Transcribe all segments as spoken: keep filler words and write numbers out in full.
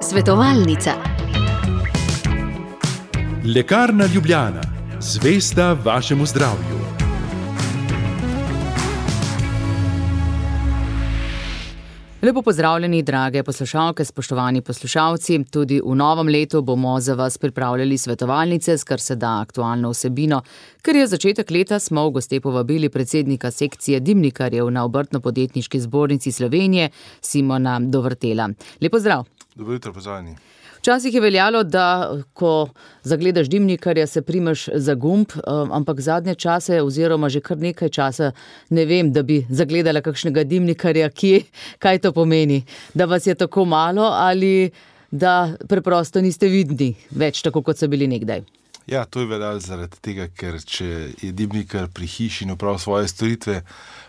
Svetovalnica. Lekarna Ljubljana, zvesta vašemu zdravju. Lepo pozdravljeni, drage poslušalke, spoštovani poslušalci. Tudi v novem letu bomo za vas pripravljali svetovalnice s kar se da aktualno vsebino. Ker je začetek leta, smo v goste povabili predsednika sekcije dimnikarjev na Obrtno-podjetniški zbornici Slovenije, Simona Dovrtela. Lep pozdrav. Dobro jutro, pozdravljeni. Včasih je veljalo, da ko zagledaš dimnikarja, se primeš za gumb, ampak zadnje čase oziroma že kar nekaj časa ne vem, da bi zagledala kakšnega dimnikarja, kje, kaj to pomeni, da vas je tako malo ali da preprosto niste vidni več tako, kot so bili nekdaj. Ja, to je veljalo zaradi tega, ker če je dimnikar pri hiši in opravi svoje storitve,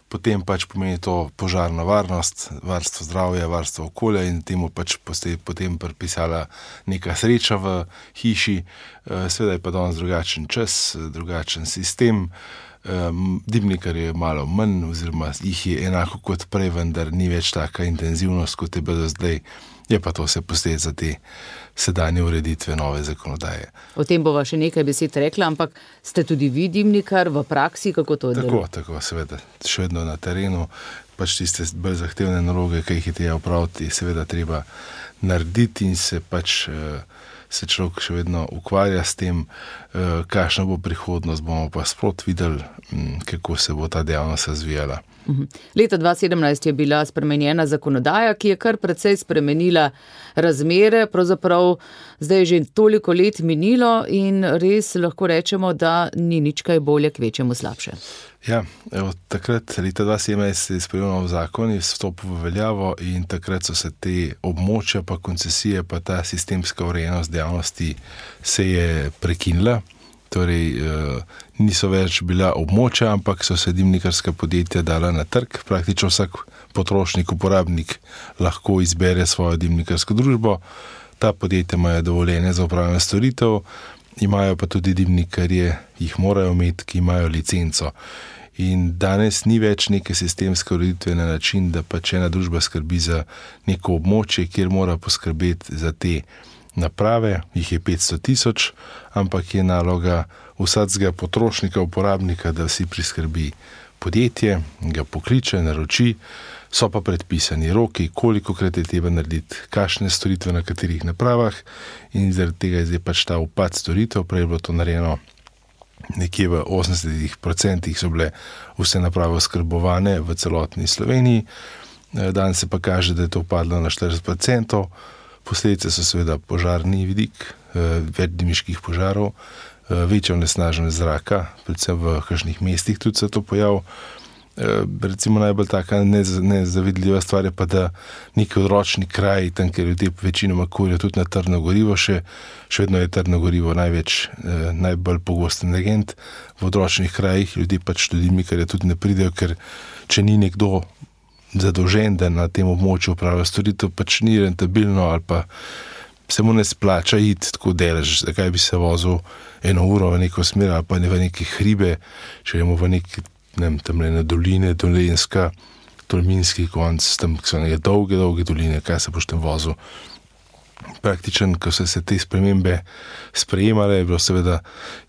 potem pač pomeni to požarno varnost, varstvo zdravja, varstvo okolja in temu pač potem pripisala neka sreča v hiši. Seveda je pa danes drugačen čas, drugačen sistem. Dimnikar je malo manj oziroma jih je enako kot prej, vendar ni več taka intenzivnost, kot je bilo zdaj. Je pa to vse posledica za te sedanje ureditve nove zakonodaje. O tem bova še nekaj besed rekla, ampak ste tudi vi dimnikar v praksi, kako to deluje? Tako, tako, seveda, še vedno na terenu, pač tiste bolj zahtevne naloge, ki jih je treba opraviti, seveda treba narediti in se pač se človek še vedno ukvarja s tem, kakšna bo prihodnost, bomo pa sprot videli, kako se bo ta dejavnost razvijala. Leta dva tisoč sedemnajst je bila spremenjena zakonodaja, ki je kar precej spremenila razmere, pravzaprav zdaj je že toliko let minilo in res lahko rečemo, da ni nič kaj bolje, kvečjemu slabše. Ja, evo, takrat, leta dva tisoč sedemnajst je sprejel nov zakon, je vstopil v veljavo in takrat so se te območja, pa koncesije, pa ta sistemska urejenost dejavnosti se je prekinila. Torej, niso več bila območja, ampak so se dimnikarska podjetja dala na trg. Praktično vsak potrošnik, uporabnik lahko izbere svojo dimnikarsko družbo. Ta podjetja imajo dovoljenje za opravljanje storitev, imajo pa tudi dimnikarje, jih morajo imeti, ki imajo licenco. In danes ni več neke sistemske ureditve na način, da pač ena družba skrbi za neko območje, kjer mora poskrbeti za te naprave, jih je petsto tisoč, ampak je naloga vsakega potrošnika, uporabnika, da si priskrbi podjetje, ga pokliče, naroči, so pa predpisani roki, kolikokrat je treba narediti, kakšne storitve na katerih napravah in zaradi tega je zdaj pač ta upad storitev. Prej je bilo to narejeno nekje v osemdesetih procentih so bile vse naprave oskrbovane v celotni Sloveniji, danes se pa kaže, da je to upadlo na štirideset procentov. Posledice so seveda požarni vidik, več dimiških požarov, večja onesnaženost zraka, predvsem v kakšnih mestih tudi se to pojav. Recimo najbolj taka nezavidljiva stvar je pa, da neki odročni kraj, tam, kjer ljudje večinoma kurijo tudi na trdno gorivo, še, še vedno je trdno gorivo največ, najbolj pogost energent. V odročnih krajih ljudje pač tudi dimnikarji tudi ne pridejo, ker če ni nekdo zadolžen, da na tem območju upravlja storitev, pač ni rentabilno ali pa se mu ne splača iti tako delež, zakaj bi se vozil eno uro v neko smer ali pa ne v neke hribe, če gremo v neki, ne vem, tamle na doline, Dolenjska, Tolminski konc, tam so neke dolge, dolge doline, kaj se boš tam vozil. Praktičen, ko so se te spremembe sprejemale, je bilo seveda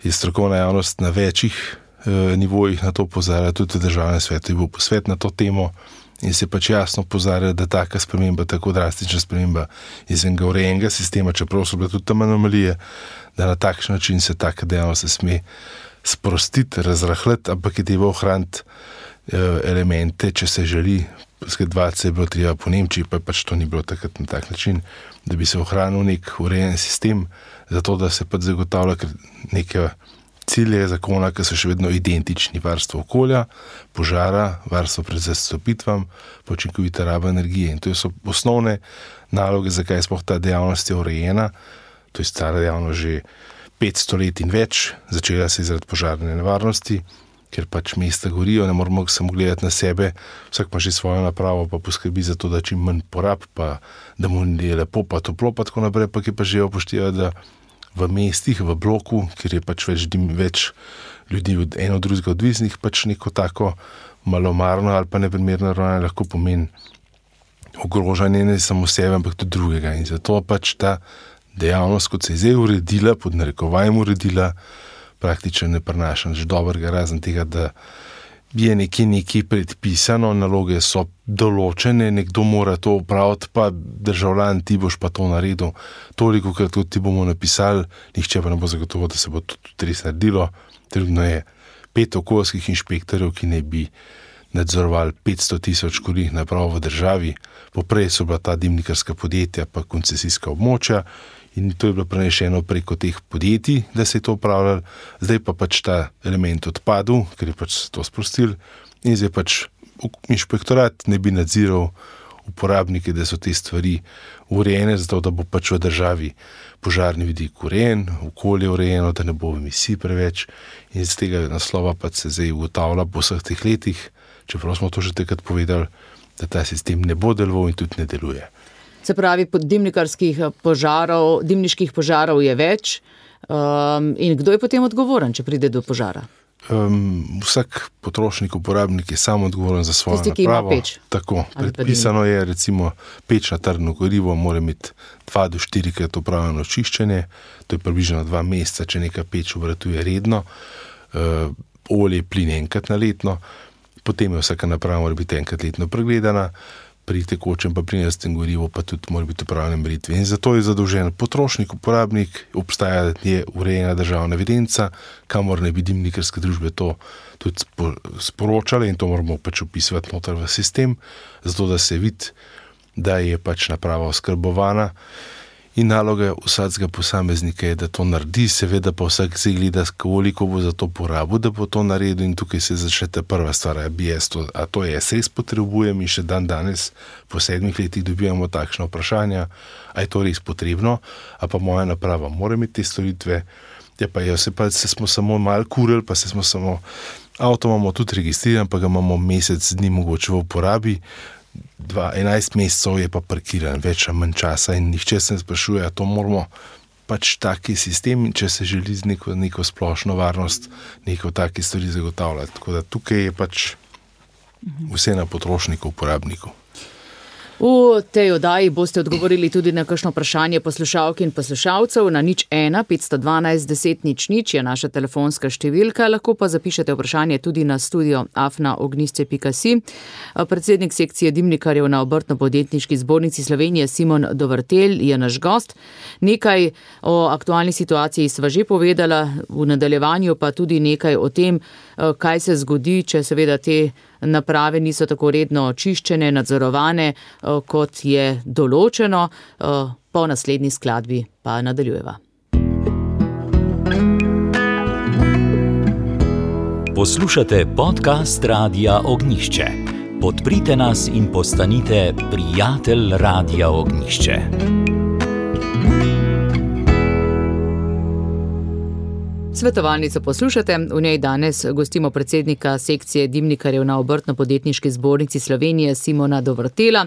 je strokovna javnost na večjih eh, nivojih na to opozarjala, tudi v državnem svetu je bil posvet na to temo, in se pač jasno opozarja, da taka sprememba, tako drastična sprememba izvenega urejenega sistema, čeprav so bile tudi tam anomalije, da na takšen način se taka dejavnost se sme sprostiti, razrahljati, ampak je treba ohraniti elemente, če se želi. Skladovati se je bilo treba po Nemčiji, pa pač to ni bilo takrat na tak način, da bi se ohranil nek urejen sistem, zato da se pač zagotavlja neke cilje zakona, ki so še vedno identični: varstvo okolja, požara, varstvo pred zastopitvam, učinkovita raba energije. In to so osnovne naloge, zakaj sploh ta dejavnost je urejena. To je stara dejavnost že petsto let in več, začela se zaradi požarne nevarnosti, ker pač mesta gorijo, ne moramo samo gledati na sebe, vsak ima že svojo napravo, pa poskrbi za to, da čim manj porab, pa da mu je lepo, pa toplo, pa tako naprej, pa ki pa že upošteva, da v mestih, v bloku, kjer je pač več, več ljudi od eno drugega odvisnih, pač neko tako malomarno ali pa neprimerno ravnanje lahko pomeni ogrožanje ne samo sebe, ampak tudi drugega. In zato pač ta dejavnost, kot se je zdaj uredila, pod narekovajem uredila, praktično ne prinaša nič dobrega, razen tega, da je nekje nekaj predpisano, naloge so določene, nekdo mora to upraviti, pa državljan, ti boš pa to naredil. Toliko, krat ti bomo napisali, nihče pa ne bo zagotovo, da se bo to tudi res naredilo. Trenutno je pet okoljskih inšpektorjev, ki naj bi nadzorovali petsto tisoč kurilnih naprav v državi. Poprej so bila ta dimnikarska podjetja pa koncesijska območja in to je bilo prenešeno preko teh podjetij, da se je to upravljalo. Zdaj pa pač ta element odpadel, ker je pač to sprostil in zdaj pač inšpektorat ne bi nadziral uporabnike, da so te stvari urejene, zato da bo pač v državi požarni vidik urejen, okolje urejeno, da ne bo emisij preveč in z tega naslova pač se zdaj ugotavlja po vseh teh letih, čeprav smo to že takrat povedali, da ta sistem ne bo deloval in tudi ne deluje. Se pravi, dimnikarskih požarov, dimniških požarov je več um, in kdo je potem odgovoren, če pride do požara? Um, vsak potrošnik, uporabnik je sam odgovoren za svojo Tisti, ki napravo. Ima peč. Tako, predpisano je recimo peč na trdno gorivo, mora imeti dva do štirikrat opravljeno čiščenje, to je približno dva meseca, če neka peč obratuje redno, uh, olje, plin enkrat na letno, potem je vsaka naprava mora biti enkrat letno pregledana, pri tekočem pa plinarskem gorivu pa tudi mora biti upravljene meritve. In zato je zadolžen potrošnik, uporabnik, obstaja je urejena državna evidenca, kamor ne bi dimnikarske družbe to tudi sporočale in to moramo pač upisovati noter v sistem, zato da se vidi, da je pač naprava oskrbovana. In naloga vsakega posameznika je, da to naredi, seveda pa vsak se gleda, koliko bo za to porabil, da bo to naredil in tukaj se začne ta prva stvar, a, bi jaz to, a to jaz res potrebujem in še dan danes po sedmih letih dobivamo takšna vprašanja, a je to res potrebno, a pa moja naprava mora imeti te storitve, ja pa je, se pa se smo samo malo kurili, pa se smo samo, avto imamo tudi registriran, pa ga imamo mesec dni mogoče v uporabi, Dva, enajst mesecev je pa parkiran, več a manj časa in nihče se ne sprašuje, a to moramo pač taki sistem, če se želi z neko, neko splošno varnost, neko taki stvari zagotavljati. Tako da tukaj je pač vse na potrošniku, uporabniku. V tej oddaji boste odgovorili tudi na kakšno vprašanje poslušalk in poslušalcev na nič ena petsto dvanajst deset nič nič je naša telefonska številka, lahko pa zapišete vprašanje tudi na studio afna ognjišče pika si. Predsednik sekcije dimnikarjev na Obrtno-podjetniški zbornici Slovenije Simon Dovrtel je naš gost. Nekaj o aktualni situaciji sva že povedala, v nadaljevanju pa tudi nekaj o tem, kaj se zgodi, če seveda te naprave niso tako redno očiščene, nadzorovane, kot je določeno. Po naslednji skladbi pa nadaljujeva. Poslušate podcast Radia Ognjišče. Podprite nas in postanite prijatelj Radia Ognjišče. Svetovalnico poslušate, v njej danes gostimo predsednika sekcije dimnikarjev na Obrtno-podjetniški zbornici Slovenije Simona Dovrtela.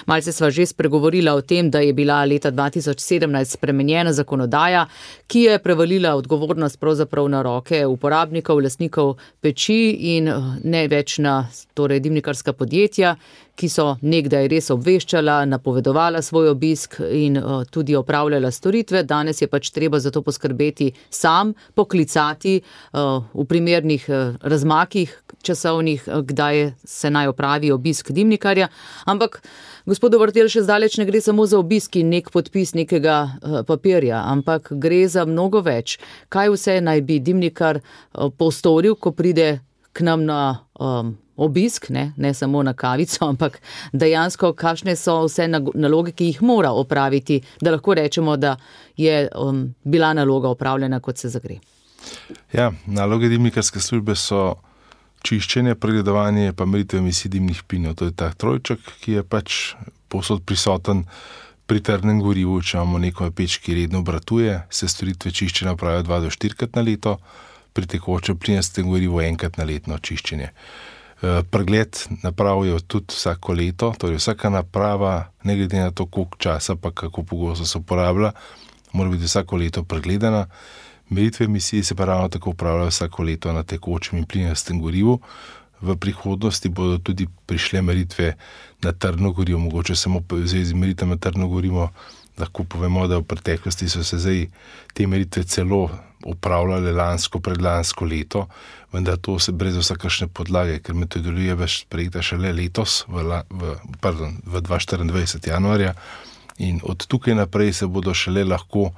Malce sva že spregovorila o tem, da je bila leta dva tisoč sedemnajst spremenjena zakonodaja, ki je prevalila odgovornost pravzaprav na roke uporabnikov, lastnikov peči in ne več na torej dimnikarska podjetja, ki so nekdaj res obveščala, napovedovala svoj obisk in uh, tudi opravljala storitve. Danes je pač treba za to poskrbeti sam, poklicati uh, v primernih uh, razmakih časovnih, uh, kdaj se naj opravi obisk dimnikarja. Ampak gospod Dovrtel, še zdaleč ne gre samo za obisk in nek podpis nekega uh, papirja, ampak gre za mnogo več. Kaj vse naj bi dimnikar uh, postoril, ko pride k nam na um, obisk, ne, ne samo na kavico, ampak dejansko kakšne so vse naloge, ki jih mora opraviti, da lahko rečemo, da je um, bila naloga opravljena, kot se zagre. Ja, naloge dimnikarske službe so čiščenje, pregledovanje pa meritve emisij dimnih plinov. To je ta trojček, ki je pač povsod prisoten pri trdnem gorivu, če imamo neko peč, ki redno obratuje, se storitve čiščenja opravijo dva do štirikrat na leto, pri tekočem plinarskem gorivu enkrat na letno čiščenje. Pregled naprav je tudi vsako leto, torej vsaka naprava, ne glede na to, koliko časa pa kako pogosto se uporablja, mora biti vsako leto pregledana. Meritve emisij se pa ravno tako upravljajo vsako leto na tekočem in plinarskem gorivu. v prihodnosti bodo tudi prišle meritve na trdno gorivo, mogoče samo v zvezi z meritvami na trdno gorivo, lahko povemo, da v preteklosti so se zdaj te meritve celo upravljale lansko, predlansko leto, vendar to se brez vsakršne podlage, ker metodologija je sprejeta šele letos, v, v, pardon, v dvesto štiriindvajset januarja, in od tukaj naprej se bodo šele lahko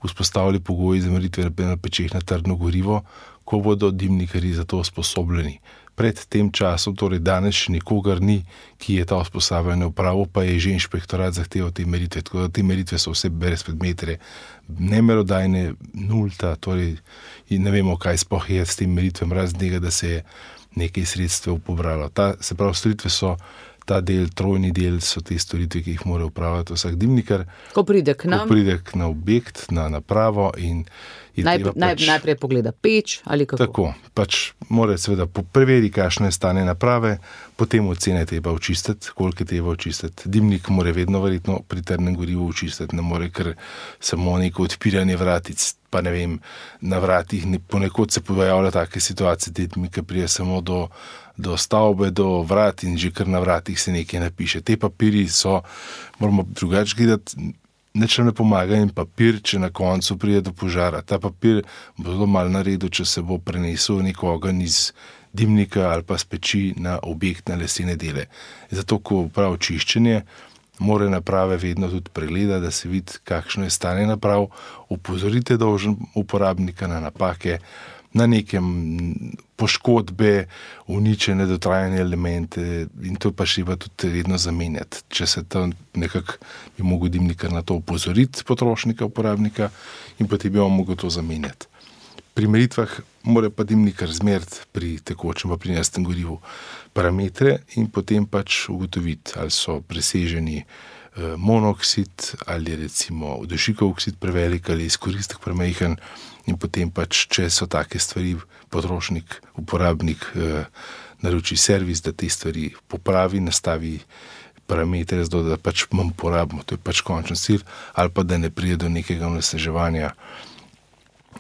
vzpostavili pogoji za meritve na pečeh na trdno gorivo, ko bodo dimnikarji za to usposobljeni. Pred tem časom, torej danes še nikogar ni, ki je ta usposabljanje opravil, pa je že inšpektorat zahteval te meritve, tako da te meritve so vse brezpredmetne, nemerodajne, nulta, torej ne vemo, kaj sploh je s tem meritvam, razen tega, da se je nekaj sredstev pobralo. Ta, se pravi, storitve so ta del, trojni del so te storitve, ki jih mora upravljati vsak dimnikar. Ko pride k nam? Ko pride k na objekt, na napravo in Naj, naj, pač, najprej pogleda peč ali kako? Tako, pač mora seveda preveri, kakšno je stanje naprave, potem ocene treba očistiti, koliko je treba očistiti. Dimnik mora vedno verjetno pri trdnem gorivu očistiti, ne more kar samo neko odpiranje vratic, pa ne vem, na vratih, ponekod se pojavlja take situacije, dimnika prije samo do, do stavbe, do vrat in že kar na vratih se nekaj napiše. Te papiri so, moramo drugače gledati, nič ne pomaga in papir, če na koncu pride do požara. Ta papir bo zelo malo naredil, če se bo prenesel nek ogenj iz dimnika ali pa z peči na objekt, na lesene dele. Zato, ko prav čiščenje, mora naprave vedno tudi pregleda, da se vidi, kakšno je stanje naprav, opozorite dolžen uporabnika na napake, na nekem poškodbe, uničene, dotrajane elemente in to pa še pa tudi vedno zamenjati. Če se to nekako bi mogel dimnikar na to opozoriti potrošnika, uporabnika in potem bi on mogel to zamenjati. Pri meritvah mora pa dimnikar zmeriti pri tekočem pa pri naftem gorivu parametre in potem pač ugotoviti, ali so preseženi eh, monoksid ali recimo dušikov oksid prevelik ali izkoristek premajhen. In potem pač, če so take stvari, potrošnik, uporabnik eh, naroči servis, da te stvari popravi, nastavi parametre, zato da pač manj porabimo, to je pač končen cilj, ali pa da ne pride do nekega onesnaževanja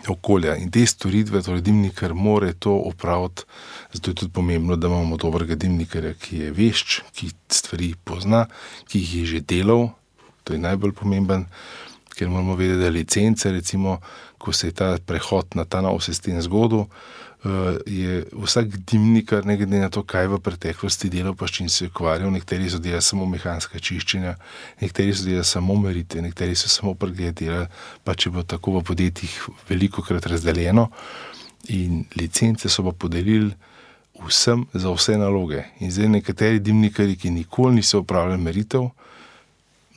okolja. In te storitve, torej dimnikar mora to opraviti, zato je tudi pomembno, da imamo dobrega dimnikarja, ki je vešč, ki stvari pozna, ki jih je že delal, to je najbolj pomemben, ker moramo vedeti, da licence, recimo, ko se je ta prehod na ta nov sistem zgodil, je vsak dimnikar, ne glede na to, kaj v preteklosti delal, pa s čim se je ukvarjal, nekateri so delali samo mehanska čiščenja, nekateri so delali samo meritve, nekateri so samo pregled delali, pa če bo tako v podjetjih velikokrat razdeljeno in licence so pa podelili vsem za vse naloge. In zdaj nekateri dimnikari, ki nikoli niso upravljali meritev,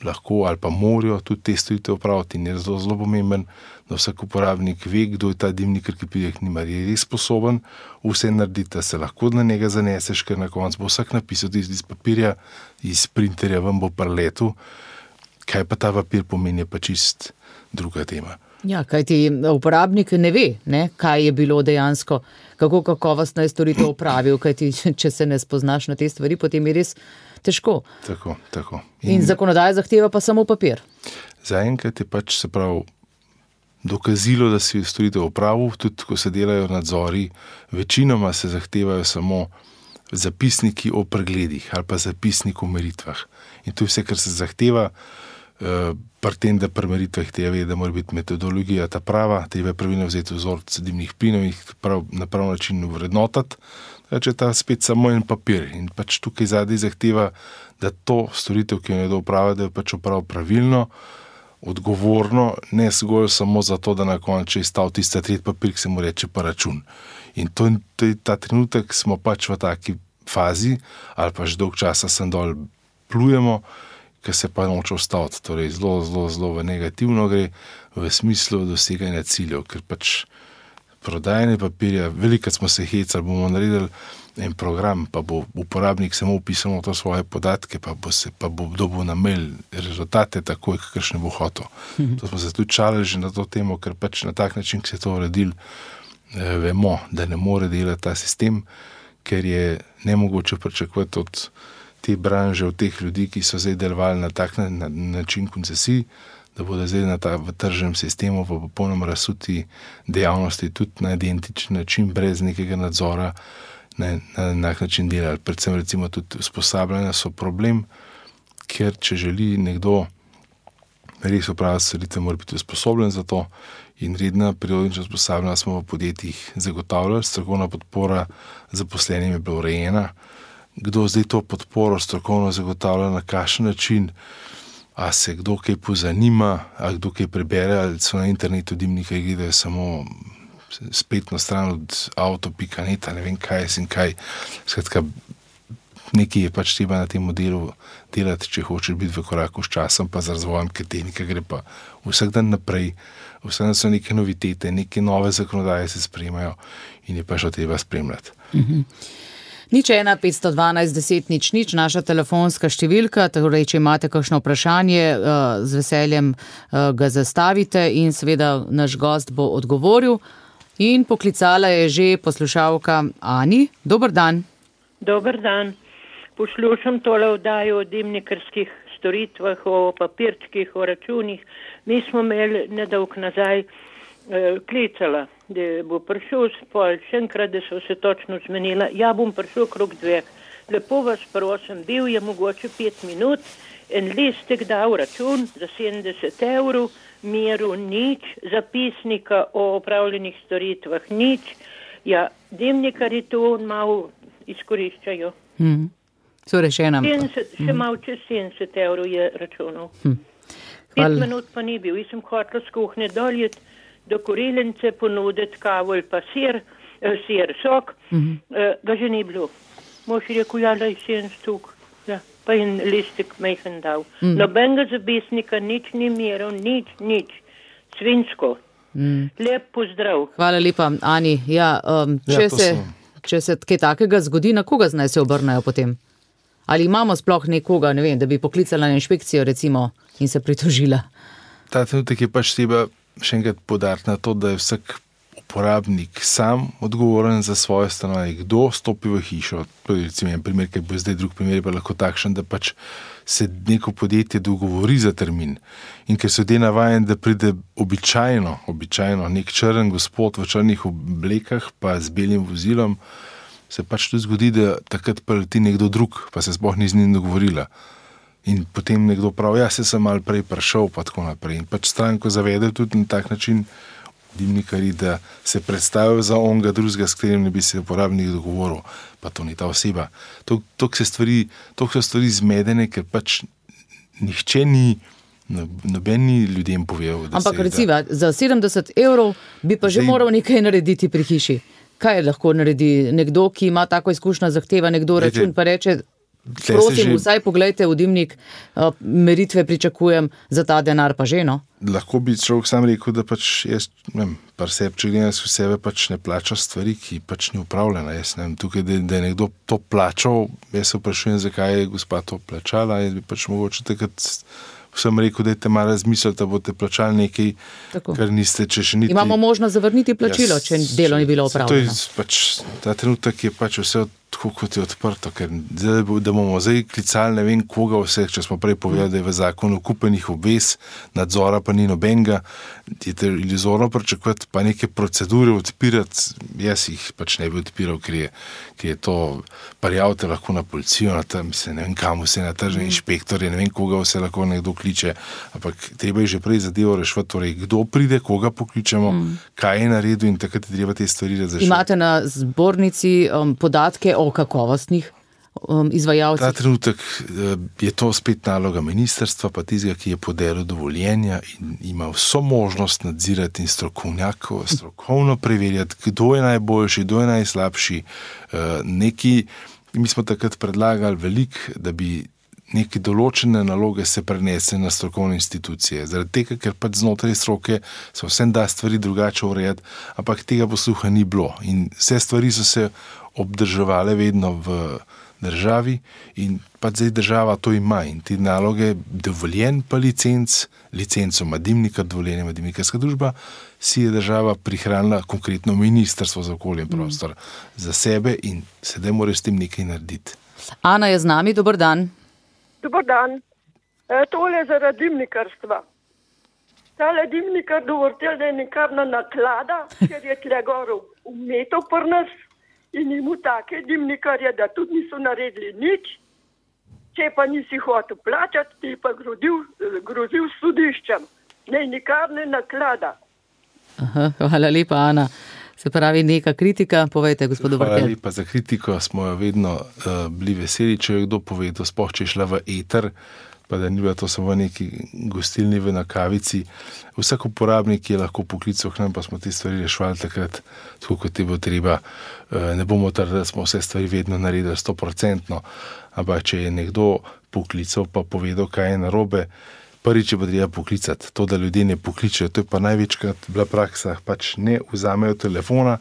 lahko ali pa morajo tudi te storitve upraviti in je zelo, zelo pomemben, da vsak uporabnik ve, kdo je ta dimnikar, ki pride k njim, je res sposoben vse narediti, da se lahko na njega zaneseš, ker na koncu bo vsak napisal iz, iz papirja, iz printerja, vam bo preletel. Kaj pa ta papir pomeni, je pa čist druga tema. Ja, kajti uporabnik ne ve, ne, kaj je bilo dejansko, kako kakovostno je storitev opravil, kajti če se ne spoznaš na te stvari, potem je res težko. Tako, tako. In, in zakonodaja zahteva pa samo papir. Zaenkrat je pač se prav dokazilo, da si storitev opravil, tudi ko se delajo nadzori, večinoma se zahtevajo samo zapisniki o pregledih ali pa zapisnik o meritvah. In to je vse, kar se zahteva, pri tem, da pri meritvah tega ve, da mora biti metodologija ta prava, treba pravilno vzeti vzorec dimnih plinov in jih prav, na prav način vrednotati, če je ta spet samo en papir. In pač tukaj zadaj zahteva, da to storitev, ki jo nekdo opravi, da je pač opravil pravilno, odgovorno, ne zgolj samo zato, da na koncu je stal tista tretji papir, ki se mu reče pa račun. In to, to je ta trenutek, smo pač v taki fazi, ali pa že dolg časa sem dol plujemo, ki se pa noče ustaviti. Torej zelo, zelo, zelo v negativno gre, v smislu doseganja ciljev, ker pač prodajanje papirja, velikrat smo se hecali, bomo naredili en program, pa bo uporabnik samo upisal to svoje podatke, pa bo se, pa bo dobil na mail rezultate takoj, kakršne bo hotel. Mhm. To smo se tudi čalili že na to temo, ker pač na tak način, ki se je to uredil, eh, vemo, da ne more delati ta sistem, ker je nemogoče pričakovati od te branže, od teh ljudi, ki so zdaj delovali na tak na, na, način koncesij, da bodo zdaj na ta, v tržnem sistemu v popolnoma razsuti dejavnosti tudi na identičen način, brez nekega nadzora, ne, na enak način delali. Predvsem recimo tudi usposabljanja so problem, ker če želi nekdo res opraviti storitve, mora biti usposobljen za to in redna periodična usposabljanja smo v podjetjih zagotavljali, strokovna podpora zaposlenim je bila urejena. Kdo zdaj to podporo strokovno zagotavlja, na kakšen način, a se kdo kaj pozanima, a kdo kaj prebere, ali so na internetu dimnikarji gledajo samo spletno stran od avto pika net, ne vem kaj in kaj. Skratka, nekaj je pač treba na tem modelu delati, če hočeš biti v koraku s časom, pa z razvojem, ker tehnika gre pa vsak dan naprej, vsak dan so neke novitete, neke nove zakonodaje se sprejemajo in je pa še treba spremljati. Mhm. Nič ena, petsto dvanajst, deset, nič, nič, naša telefonska številka, torej, če imate kakšno vprašanje, z veseljem ga zastavite in seveda naš gost bo odgovoril. In poklicala je že poslušalka Ani. Dober dan. Dober dan. Poslušam tole oddajo o dimnikarskih storitvah, o papirčkih, o računih. Mi smo imeli nedolgo nazaj eh, klicala, da bo prišel spol, še enkrat, da so se točno zmenila. Ja, bom prišel krog dveh. Lepo vas prosim, bil je mogoče pet minut, en listek dal račun za sedemdeset evrov, miru nič, zapisnika o opravljenih storitvah nič. Ja, dimnikarji to malo izkoriščajo. Hmm. Torej, še ena. sedemdeset, še malo čez sedemdeset evrov je računov. Hmm. Pet minut pa ni bil. Jaz sem hotela z kuhnje doljet, do korilence ponuditi kavo ali pa sir, eh, sir, sok, mm-hmm. eh, ga že ni bilo. Mož je rekel, ja, lej sedemdeset stuk, ja, pa in listek majhen dal. Mm. Nobenega zapisnika, nič ni miral, nič, nič. Svinsko. Mm. Lep pozdrav. Hvala lepa, Ani. Ja, um, če, ja, se, če se kaj takega zgodi, na koga naj se obrnejo potem? Ali imamo sploh nekoga, ne vem, da bi poklicala na inšpekcijo recimo in se pritožila? Ta trenutek je pač treba še enkrat podariti na to, da je vsak uporabnik sam odgovoren za svoje stanovanje. Kdo stopi v hišo? Recimo en primer, ker bo zdaj drug primer, pa lahko takšen, da pač se neko podjetje dogovori za termin. In ker so ljudje navajeni, da pride običajno, običajno nek črn gospod v črnih oblekah, pa z belim vozilom, se pač tudi zgodi, da takrat preleti nekdo drug, pa se sploh ni z njim dogovorila. In potem nekdo pravi, ja, se sem malo prej prišel, pa tako naprej. In pač stranko zavede tudi na tak način dimnikarji, da se predstavijo za onega drugega, s katerim ne bi se uporabnik dogovoril, pa to ni ta oseba. Toliko se stvari, toliko so stvari zmedene, ker pač nihče ni, noben ni ljudem povedal. Ampak recimo, za sedemdeset evrov bi pa že zdaj moral nekaj narediti pri hiši. Kaj lahko naredi nekdo, ki ima tako izkušnjo, zahteva nekdo račun, pa reče, prosim, že vsaj poglejte v dimnik, meritve pričakujem, za ta denar pa že, no? Lahko bi človek sam rekel, da pač jaz, ne vem, par sebe, če gledam v sebe, pač ne plača stvari, ki pač ni upravljena. Jaz ne vem, tukaj, da, da je nekdo to plačal, jaz se vprašujem, zakaj je gospa to plačala, jaz bi pač mogoče takrat vsem rekel, da je te malo razmisliti, da boste plačali nekaj, tako, kar niste, če še niti. Imamo možnost zavrniti plačilo, ja, če delo ni bilo opravljeno. To je pač, ta trenutek je pač vse tako, kot je odprto, ker zdaj, da bomo zdaj klicali ne vem koga vseh, če smo prej povedali, da je v zakonu kupenih obvez, nadzora pa ni nobenega, je te iluzorno pričakovati, pa neke procedure odpirati, jaz jih pač ne bi odpiral, ker je, ker je to, prijavite lahko na policijo, na tam, mislim, ne vem kam vse, na tržne inšpektorje, ne vem koga vse lahko nekdo kliče, ampak treba je že prej zadevo rešiti, torej kdo pride, koga pokličemo, mm. kaj je naredil in takrat je treba te stvari razrešiti. Imate na zbornici um, podatke o kakovostnih um, izvajalcih? Ta trenutek je to spet naloga ministrstva, pa tistega, ki je podelil dovoljenja in ima vso možnost nadzirati in strokovnjakov, strokovno preverjati, kdo je najboljši, kdo je najslabši. Neki, mi smo takrat predlagali veliko, da bi neke določene naloge se prenese na strokovne institucije. Zaradi tega, ker pač znotraj stroke se vsem da stvari drugače urejati, ampak tega posluha ni bilo. In vse stvari so se obdrževale vedno v državi in pač zdaj država to ima in te naloge dovoljen pa licenc, licenco ima dimnikar, dovoljenje ima dimnikarska družba, si je država prihranila konkretno ministrstvo za okolje in prostor mm. za sebe in sedaj mora s tem nekaj narediti. Ana je z nami, dober dan. Dobar dan. E, tole je zaradi dimnikarstva. Tale dimnikar dovrtel, da je nekavna naklada, ker je tle gor umetov pri nas in imu take dimnikarje, da tudi niso naredili nič. Če pa nisi hotel plačati, ti pa grozil, grozil sodiščem. Ne, nikar ne naklada. Aha, hvala lepa, Ana. Se pravi, neka kritika, povejte, gospodu Vrkel. Hvala lepa za kritiko, smo jo vedno uh, bili veseli, če je kdo povedal, sploh če je šla v eter, pa da ni bila to samo neki gostilni v nakavici. Vsak uporabnik je lahko poklical k nam, pa smo te stvari rešvali takrat, tako kot je bilo treba. Uh, ne bomo trdili, da smo vse stvari vedno naredili sto procentno, ampak če je nekdo poklical, pa povedal, kaj je narobe, prvič je pa treba poklicati. To, da ljudje ne pokličajo, to je pa največkrat bila praksa, pač ne vzamejo telefona,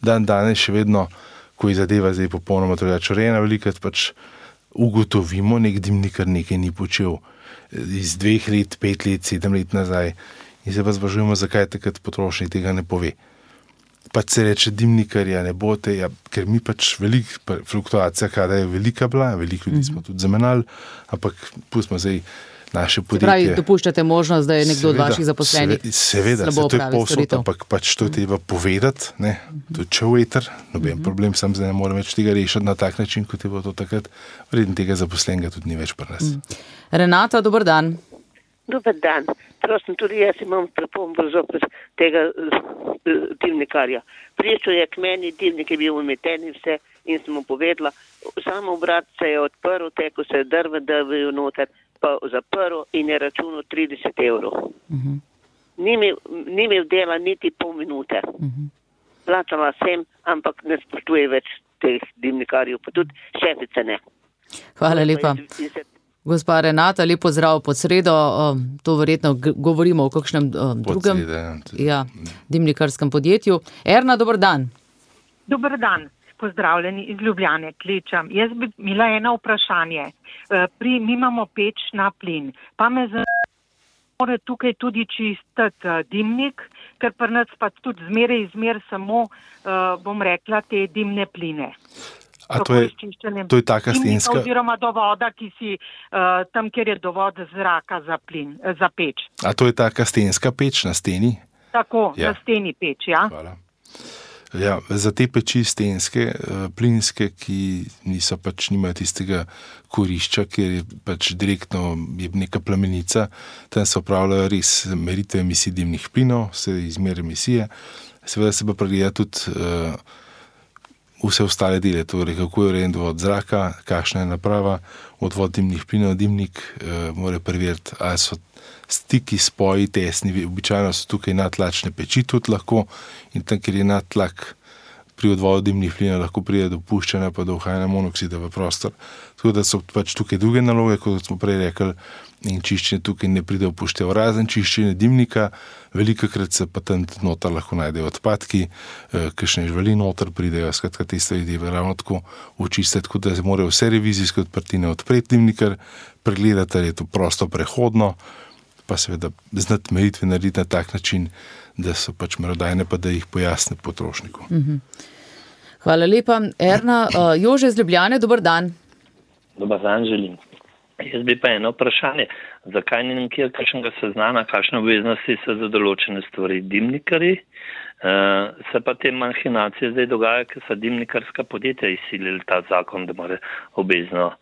dan danes še vedno, ko je zadeva zdaj popolnoma drugače urejena, velikrat pač ugotovimo, nek dimnikar nekaj ni počel iz dveh let, pet let, sedem let nazaj in se pa sprašujemo, zakaj takrat potrošnik tega ne pove. Pač se reče dimnikarja, ne bote, ja, ker mi pač velik, fluktuacija kada je velika bila, veliko ljudi smo tudi zamenjali, ampak pustimo zdaj naše podjetje. Se pravi, dopuščate možnost, da je nekdo seveda, od vaših zaposlenih seveda, slabo se to je opravi povsod, storitev. ampak pač to je treba povedati, ne, to je če v eter, noben uh-huh. problem, sam zdaj ne morem več tega rešiti na tak način, kot je bilo to takrat, vreden tega zaposlenega tudi ni več pri nas. Uh-huh. Renata, dober dan. Dober dan. Prosim, tudi jaz imam pripombo zopet tega uh, dimnikarja. Prišel je k meni, dimnik je bil umeten in vse in sem mu povedala, samo obrat se je odprl, teko se je drve, drvejo noter, pa zaprl in je računal trideset evrov. Uh-huh. Ni imel dela niti pol minute. Uh-huh. Plačala sem, ampak ne spoštuje več teh dimnikarjev, pa tudi šefice ne. Hvala lepa. Gospa Renata, lep pozdrav pod sredo. To verjetno govorimo o kakšnem drugem ja, dimnikarskem podjetju. Erna, dober dan. Dober dan. Pozdravljeni iz Ljubljane, klečam. Jaz bi imela eno vprašanje. Pri, mi imamo peč na plin, pa me zanima tukaj tudi čistiti dimnik, ker pri nas pa tudi zmeraj izmer samo, bom rekla, te dimne pline. A to je, to je taka stenska... Oziroma do voda, ki si uh, tam, kjer je dovod zraka za plin, za peč. A to je taka stenska peč na steni? Tako, ja. Na steni peč, ja. Hvala. Ja, za te peči stenske, plinske, ki niso pač nimajo tistega kurišča, ker je pač direktno je neka plamenica, tam se opravljajo res meritve emisij dimnih plinov, se izmer emisije, seveda se pa pregleda tudi uh, vse ostale dele, torej kako je urejen dovod zraka, kakšna je naprava, odvod dimnih plinov, dimnik uh, mora preveriti, ali so stiki, spoji, tesni, običajno so tukaj nadtlačne peči tudi lahko in tam, kjer je nadtlak pri odvodu dimnih plinov, lahko pride do puščanja pa do uhajanja monoksida v prostor. Tako da so pač tukaj druge naloge, kot smo prej rekli, in čiščenje tukaj ne pride upoštev. Razen čiščenje dimnika, velikokrat se pa tam noter lahko najdejo odpadki, kakšne živali noter pridejo, skratka te stvari ravno tako očistiti, tako da se morajo vse revizijske odprtine odpreti dimnikar, pregledati, ali je to prosto prehodno, pa seveda znati meritve narediti na tak način, da so pač merodajne, pa da jih pojasne potrošniku. Uh-huh. Hvala lepa. Erna, uh, Jože iz Ljubljane, dober dan. Dobar dan želim. Jaz bi pa eno vprašanje, zakaj ni nekjer kakšnega seznana, kakšne obveznosti so za določene stvari dimnikarji, uh, se pa te mahinacije zdaj dogaja, ker so dimnikarska podjetja izsilili ta zakon, da mora obvezno.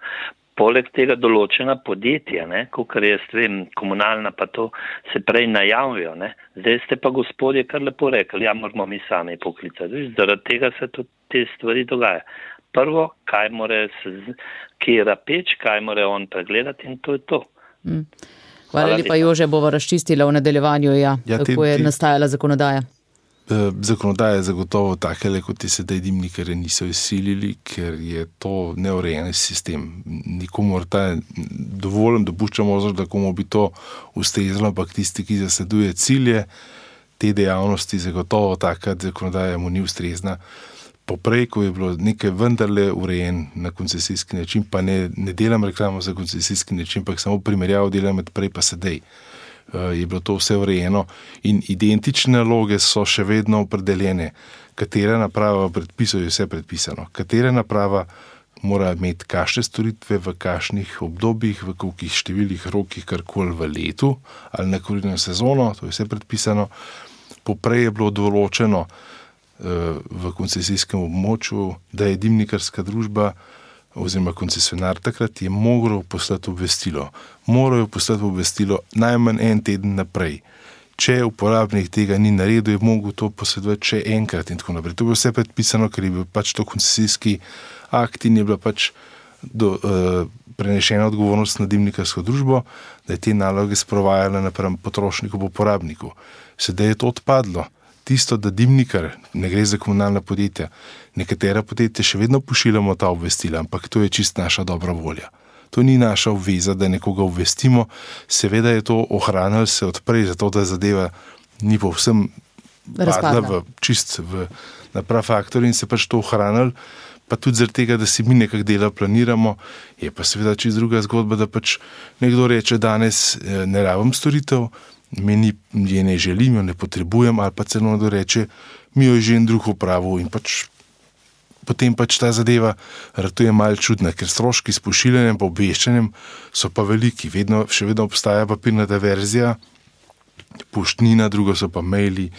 Poleg tega določena podjetja, ne, kakor jaz vem, komunalna pa to, se prej najavijo, ne. Zdaj ste pa gospodje kar lepo rekli, ja, moramo mi sami poklicati. Zaradi tega se tudi te stvari dogaja. Prvo, kaj more se, kjera peč, kaj more on pregledati in to je to. Mm. Hvala, Hvala lepa, Jože, bova razčistila v nadaljevanju, ja, ja kako te, je te... nastajala zakonodaja. Zakonodaja je zagotovo takele, kot je sedaj dimnikarje niso izsilili, ker je to neurejen sistem. Nikomu ta dovolj dopušča možnost, da komu bi to ustrezalo, ampak tisti, ki zasleduje cilje te dejavnosti, zagotovo taka zakonodaja mu ni ustrezna. Poprej, ko je bilo nekaj vendarle urejen na koncesijski način, pa ne, ne delam reklamo za koncesijski način, ampak samo primerjavo delam med prej pa sedaj. Je bilo to vse urejeno in identične naloge so še vedno opredeljene. Katera naprava v predpisu je vse predpisano. Katera naprava mora imeti kakšne storitve v kakšnih obdobjih, v kolikih številih rokih, karkoli v letu ali na kurilno sezono, to je vse predpisano. Poprej je bilo določeno, v koncesijskem območju, da je dimnikarska družba oziroma koncesionar takrat je moral poslati obvestilo. Morajo poslati obvestilo najmanj en teden naprej. Če uporabnik tega ni naredil, je mogel to posredovati še enkrat in tako naprej. To je vse predpisano, ker je bil pač to koncesijski akt in je bila pač do, uh, prenešena odgovornost na dimnikarsko družbo, da je te naloge sprovajala napram potrošniku, uporabniku. Sedaj je to odpadlo. Tisto, da dimnikar, ne gre za komunalna podjetja, nekatera podjetja še vedno pošiljamo ta obvestila, ampak to je čist naša dobra volja. To ni naša obveza, da nekoga obvestimo. Seveda je to ohranilo se odprej, zato da zadeva ni povsem padla v čist v, na prav faktor in se pač to ohranilo, pa tudi zaradi tega, da si mi nekak dela planiramo, je pa seveda čist druga zgodba, da pač nekdo reče danes ne rabim storitev, meni je ne želim, jo ne potrebujem, ali pa celo nekdo reče, mi jo je že en drug opravil in pač potem pač ta zadeva ratuje malo čudna, ker stroški s pošiljanjem pa obveščanjem so pa veliki. Vedno, še vedno obstaja papirnata verzija, poštnina, drugo so pa maili,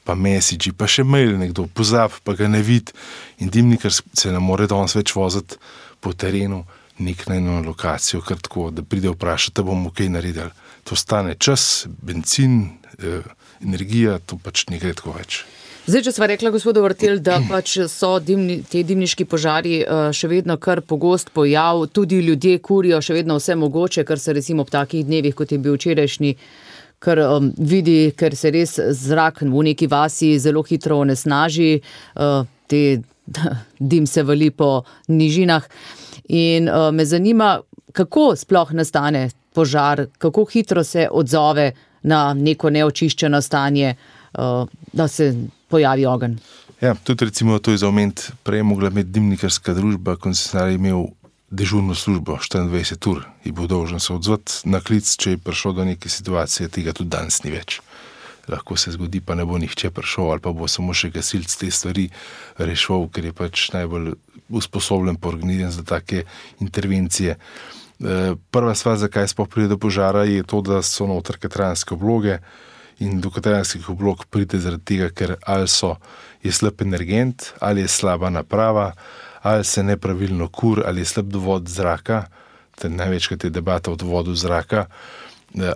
pa messagi, pa še mail nekdo pozab, pa ga ne vidi in dimnikar se ne more danes več voziti po terenu nek na eno lokacijo, kar tako, da pride vprašati, da bomo kaj naredili. To stane čas, benzin, eh, energija, to pač ne gre tako več. Zdaj, če sva rekla, gospodu Vrtel, da pač so dimni, te dimniški požari še vedno kar pogost pojav, tudi ljudje kurijo še vedno vse mogoče, kar se recimo ob takih dnevih, kot je bil včerajšnji, kar um, vidi, ker se res zrak v neki vasi zelo hitro onesnaži, uh, te dim se vali po nižinah. In uh, me zanima, kako sploh nastane požar, kako hitro se odzove na neko neočiščeno stanje, uh, da se pojavi ogenj. Ja, tudi recimo to je za oment, prej mogla imeti dimnikarska družba, koncesionar je imel dežurno službo štiriindvajset ur in bo dolžen se odzvati na klic, če je prišlo do neke situacije, tega tudi danes ni več. Lahko se zgodi, pa ne bo nihče prišel ali pa bo samo še gasilc te stvari rešil, ker je pač najbolj usposobljen pa organiziran za take intervencije. Prva stvar, zakaj sploh pride do požara, je to, da so noter katranske obloge in do katranskih oblog pride zaradi tega, ker ali so, je slab energent, ali je slaba naprava, ali se nepravilno kur, ali je slab dovod zraka, največkrat je debata o dovodu zraka,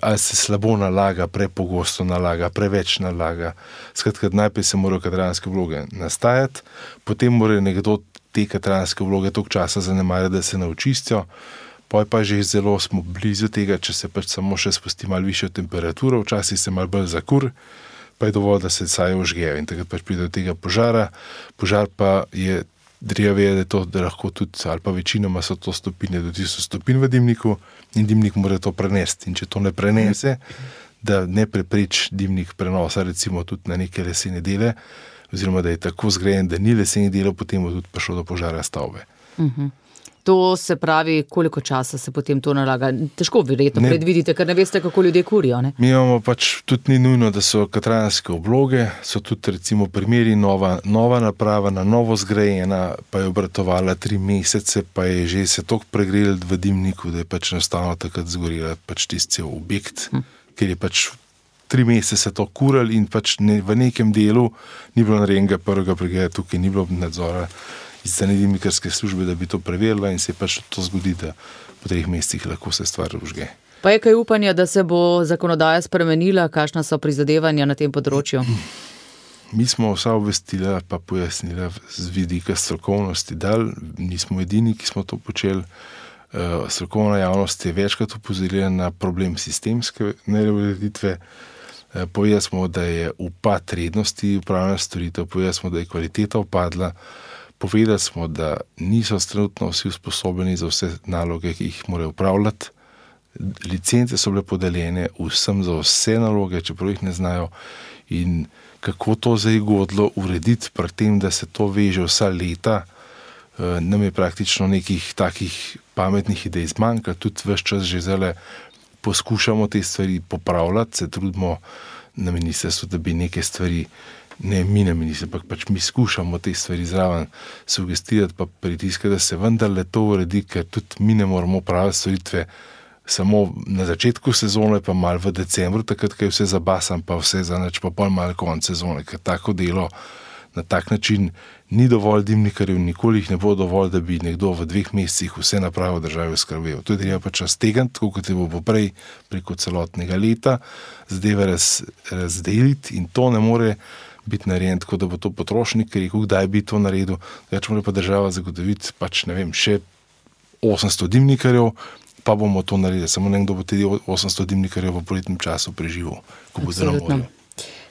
ali se slabo nalaga, prepogosto nalaga, preveč nalaga. Skratka, najprej se morajo katranske obloge nastajati, potem mora nekdo te katranske obloge toliko časa zanemarjati, da se ne očistijo, poj pa že zelo smo blizu tega, če se pač samo še spusti malo višjo temperaturo, včasih se malo bolj zakur, pa je dovolj, da se caje ožgejo in takrat pač pride do tega požara. Požar pa je, treba vedeti to, da lahko tudi, ali pa večinoma so to stopinje do tisoč stopinj v dimniku in dimnik mora to prenesti. In če to ne prenese, da ne prepreči dimnik prenosa recimo tudi na neke lesene dele, oziroma da je tako zgrajen, da ni lesenih delov, potem bo tudi prišlo do požara stavbe. Uh-huh. To se pravi, koliko časa se potem to nalaga? Težko verjetno ne predvidite, ker ne veste, kako ljudje kurijo, ne? Mi imamo pač, tudi ni nujno, da so katranske obloge, so tudi recimo primeri nova, nova naprava, na novo zgrajena, pa je obratovala tri mesece, pa je že se toliko pregrela v dimniku, da je pač enostavno takrat zgorela pač tisti cel objekt, hm. ker je pač tri mesece se to kurali in pač ne, v nekem delu ni bilo narejenega prvega pregleda, tukaj ni bilo nadzora iz strani dimnikarske službe, da bi to preverila in se pač to zgodi, da po treh mesecih lahko se stvar užge. Pa je kaj upanja, da se bo zakonodaja spremenila, kakšna so prizadevanja na tem področju? Mi smo vsa obvestila pa pojasnila z vidika strokovnosti dal, nismo edini, ki smo to počeli. Strokovna javnost je večkrat opozorila na problem sistemske neureditve. Povedali smo, da je upad rednosti upravljanja storitev, povedali smo, da je kvaliteta upadla. Povedali smo, da niso trenutno vsi usposobljeni za vse naloge, ki jih morajo upravljati. Licence so bile podeljene vsem za vse naloge, čeprav jih ne znajo. In kako to zdaj godlo urediti, pri tem, da se to veže vsa leta, nam je praktično nekih takih pametnih idej zmanjka. Tudi ves čas že zdaj poskušamo te stvari popravljati, se trudimo na ministrstvu, da bi neke stvari ne mi na ministrstvu, ampak pač mi skušamo te stvari zraven sugestirati pa pritiskati, da se vendarle to uredi, ker tudi mi ne moramo praviti storitve samo na začetku sezone, pa malo v decembru, takrat, ko je vse zabasan, pa vse za nič, pa pol malo konc sezone, ker tako delo Na tak način ni dovolj dimnikarjev, nikoli jih ne bo dovolj, da bi nekdo v dveh mesecih vse naprave v državi oskrbel. To je treba pač raztegniti, tako kot je bo poprej preko celotnega leta, zadeve raz, razdeliti in to ne more biti narejen, tako da bo to potrošnik rekel, kdaj bi to naredil, več mora pa država zagotoviti pač, ne vem, še osemsto dimnikarjev, pa bomo to naredili. Samo nekdo bo tudi osemsto dimnikarjev v poletnem času preživel, ko bo na morju.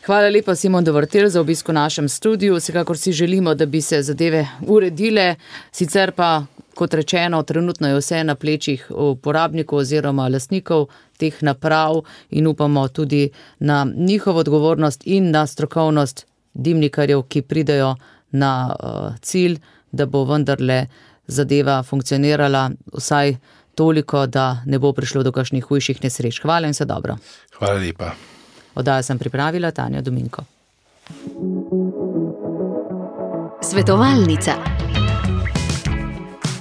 Hvala lepa, Simon Dovrtel, za obisk v našem studiu. Vsekakor si želimo, da bi se zadeve uredile, sicer pa, kot rečeno, trenutno je vse na plečih uporabnikov oziroma lastnikov teh naprav in upamo tudi na njihovo odgovornost in na strokovnost dimnikarjev, ki pridejo na uh, cilj, da bo vendarle zadeva funkcionirala vsaj toliko, da ne bo prišlo do kakšnih hujših nesreč. Hvala in vse dobro. Hvala lepa. Oddajo sem pripravila Tanja Dominko. Svetovalnica.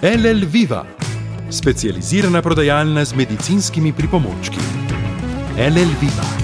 L L Viva, specializirana prodajalna z medicinskimi pripomočki. L L Viva.